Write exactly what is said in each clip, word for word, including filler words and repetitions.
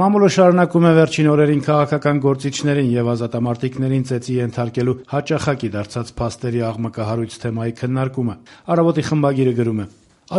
Մամուլը շարունակում է վերջին օրերին քաղաքական գործիչներին եւ ազատամարտիկներին ծեծի ենթարկելու հաճախակի դարձած փաստերի աղմկահարույց թեմայի քննարկումը։ Առավոտի խմբագիրը գրում է.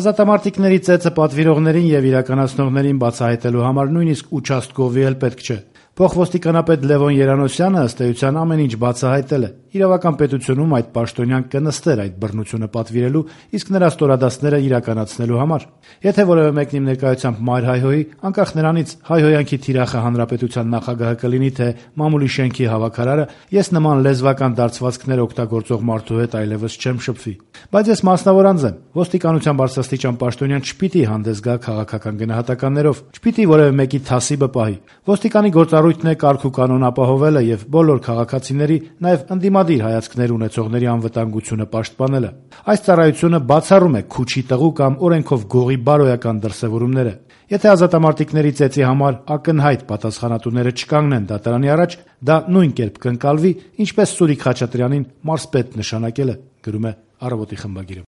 Ազատամարտիկների ծեծը պատվիրողներին եւ իրականացնողներին բացահայտելու համար նույնիսկ ուչաստկովի էլ պետք չէ։ Փոխոստիկանապետ Լևոն Երանոսյանը ըստ էության ամեն ինչ բացահայտել է։ Իրավական պետությունում այդ պաշտոնյան կնստեր այդ բռնությունը պատվիրելու, իսկ նրա ստորադասները իրականացնելու համար։ Եթե որևէ մեկն իմ ներկայությամբ մայր հայհոյի, անկախ նրանից հայհոյանքի թիրախը հանրապետության նախագահը կլինի, թե մամուլի շենքի հավաքարարը, ես նման լեզվական դարձվածքներ օգտագործող մարդու հետ այլևս չեմ շփվի։ Բայց ես մասնավոր անձ եմ։ Ոստիկանության բարձրաստիճան պաշտոնյան չպիտի հանդես գա քաղաքական գնահատականներով, չպիտի որևէ մեկի թասիբը պահի։ Ոստիկանի գործառույթն է կարգ ու կանոն ապահովելը եւ բոլոր քաղաքացիների, նաեւ ընդդիմադիր հայացքներ ունեցողների անվտանգությունը պաշտպանելը։ Այս ծառայությունը բացառում է քուչի տղու կամ օրենքով գողի բարոյական դրսևորումները։ Եթե ազատամարտիկների ծեծի համար ակնհայտ պատասխանատուները չկանգնեն դատարանի առաջ, դա նույն կերպ կընկալվի, ինչպես Սուրիկ Խաչատրյանին մարզպետ նշանակելը, գրում է Առավոտի խմբագիրը։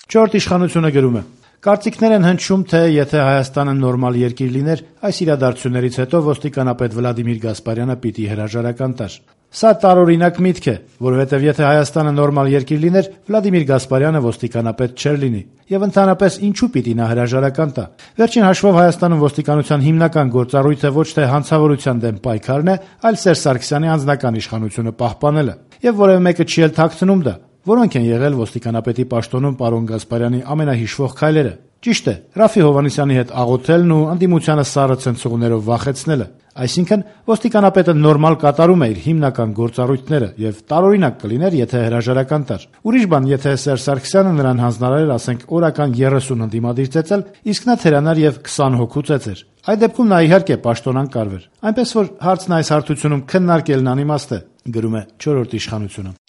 Չորրորդ իշխանությունը գրում է. Կարծիքներ են հնչում, թե եթե Հայաստանը նորմալ երկիր լիներ, այս իրադարձություններից հետո ոստիկանապետ Վլադիմիր Գասպարյանը պիտի հրաժարական տար։ Սա տարօրինակ միտք է, որովհետև եթե Հայաստանը նորմալ երկիր լիներ, Վլադիմիր Գասպարյանը ոստիկանապետ չէր լինի, եւ ընդհանրապես ինչու պիտի նա հրաժարական տա։ Վերջին հաշվով Հայաստանում ոստիկանության հիմնական գործառույթը ոչ թե հանցավորության դեմ պայքարն է, այլ Սերժ Սարգսյանի անձնական իշխանությունը պահպանելը, եւ որևէ մեկը չի էլ թաքցնում դա։ Որոնք են եղել ոստիկանապետի պաշտոնում պարոն Գասպարյանի ամենահիշվող քայլերը։ Ճիշտ է, Ռաֆի Հովհաննիսյանի հետ աղոթելն ու ընդդիմությանը սառը ցնցողներով վախեցնելը։ Այսինքն ոստիկանապետը նորմալ կատարում է իր հիմնական գործառույթները եւ տարօրինակ կլիներ, եթե հրաժարական տար։ Ուրիշ բան, եթե Սերժ Սարգսյանը նրան հանձնարարեր, ասենք, օրական երեսուն ընդդիմադիր ծեծել, իսկ նա թերանար եւ քսան հոգու ծեծեր։ Այդ դեպքում նա իհարկե պաշտոնան կարվեր։ Այնպես որ հարցն այս հարթությունում քննարկելն անիմաստ է, գրում է չորրորդ իշխանությունը։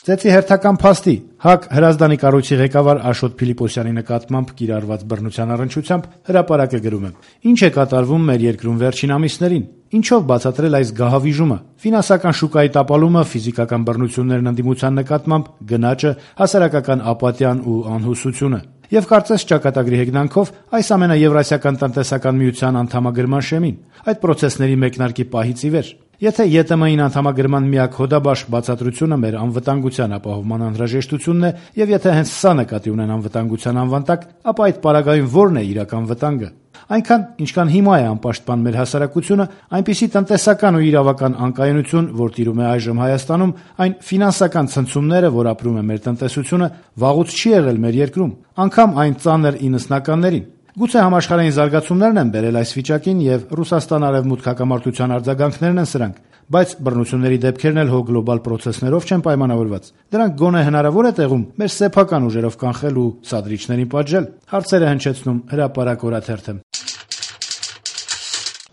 Ծեծի հերթական փաստի ՀԱԿ Հրազդանի կառույցի ղեկավար Աշոտ Փիլիպոսյանի նկատմամբ կիրառված բռնության առնչությամբ հրապարակը գրում է. Ինչ է կատարվում մեր երկրում վերջին ամիսներին։ Ինչով բացատրել այս գահավիժումը։ Ֆինանսական շուկայի տապալումը, ֆիզիկական բռնություններն ընդդիմության նկատմամբ, գնաճը, հասարակական ապատիան ու անհուսությունը։ Եվ կարծես ճակատագրի հեգնանքով այս ամենը Եվրասիական տնտեսական միության անդամագրման շեմին, այդ պրոցեսների մեկնարկի պահից ի վեր։ Եթե ԵՏՄ-ին անդամագրման միակ հոդաբաշխ բացատրությունը մեր անվտանգության ապահովման անհրաժեշտությունն է, եւ եթե հենց սա նկատի ունեն անվտանգության անվան տակ, ապա այդ պարագայում ո՞րն է իրական վտանգը։ Այնքան, ինչքան հիմա է անպաշտպան մեր հասարակությունը, այնպիսի տնտեսական ու իրավական անկայունություն, որ տիրում է այժմ Հայաստանում, այն ֆինանսական ցնցումները, որ ապրում է մեր տնտեսությունը, վաղուց չի եղել մեր երկրում, անգամ այն ծանր իննսնականներին։ Գուցե համաշխարհային զարգացումներն են բերել այս վիճակին եւ Ռուսաստան-Արևմուտք հակամարտության արձագանքներն են սրանք, բայց բռնությունների դեպքերն էլ հո գլոբալ պրոցեսներով չեն պայմանավորված։ Դրանք գոնե հնարավոր է տեղում մեր սեփական ուժերով կանխել ու սադրիչներին պատժել։ Հարցերը հնչեցնում Հրապարակ օրաթերթը։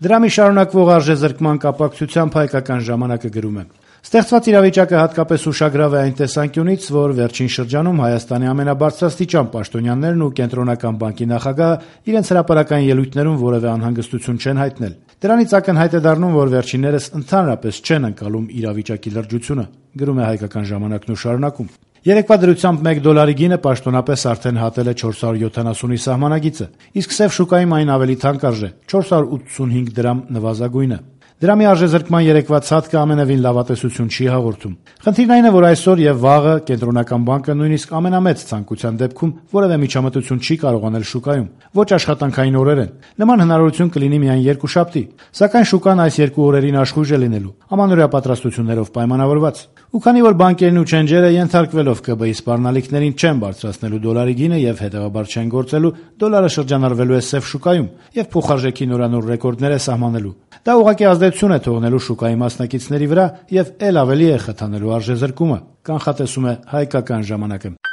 Դրամի շարունակվող արժեզրկման կապակցությամբ Հայկական ժամանակը գրում է. Ստեղծված իրավիճակը հատկապես ուշագրավ է այն տեսանկյունից, որ վերջին շրջանում Հայաստանի ամենաբարձրաստիճան պաշտոնյաներն ու Կենտրոնական բանկի նախագահը իրենց հրապարակային ելույթներում որևէ անհանգստություն չեն հայտնել։ Դրանից ակնհայտ է դառնում, որ վերջիններս ընդհանրապես չեն ընկալում իրավիճակի լրջությունը, գրում է Հայկական ժամանակն ու շարունակում. Երեկվա դրությամբ մեկ դոլարի գինը պաշտոնապես արդեն հատել է չորս հարյուր յոթանասունի սահմանագիծը, իսկ սև շուկայում այն ավելի թանկ արժե՝ չորս հարյուր ութսունհինգ դրամ նվազագույնը։ Դրամի արժեզրկման երեկվա ցածկը ամենևին լավատեսություն չի հաղորդում։ Խնդիրն այն է, որ այսօր եւ վաղը Կենտրոնական բանկը նույնիսկ ամենամեծ ցանկության դեպքում որևէ միջամտություն չի կարող անել շուկայում, ոչ աշխատանքային օրեր են։ Նման հնարավորություն կլինի միայն երկուշաբթի, սակայն շուկան այս երկու օրերին աշխույժ է լինելու, ամանորյա պատրաստություններով պայմանավորված։ Ու քանի որ բանկերն ու չենջերը ենթարկվելով ԿԲ-ի սպառնալիքներին չեն բարձրացնելու դոլարի գինը եւ հետեւաբար չեն գործելու, դոլարը շրջանառվելու է սև շուկայում եւ փոխարժեքի նորանոր ռեկորդներ է սահմանելու։ Դա ուղղակի ազդեցություն է թողնելու շուկայի մասնակիցների վրա եւ ել ավելի է խթանելու արժեզրկումը, կանխատեսում է Հայկական ժամանակը։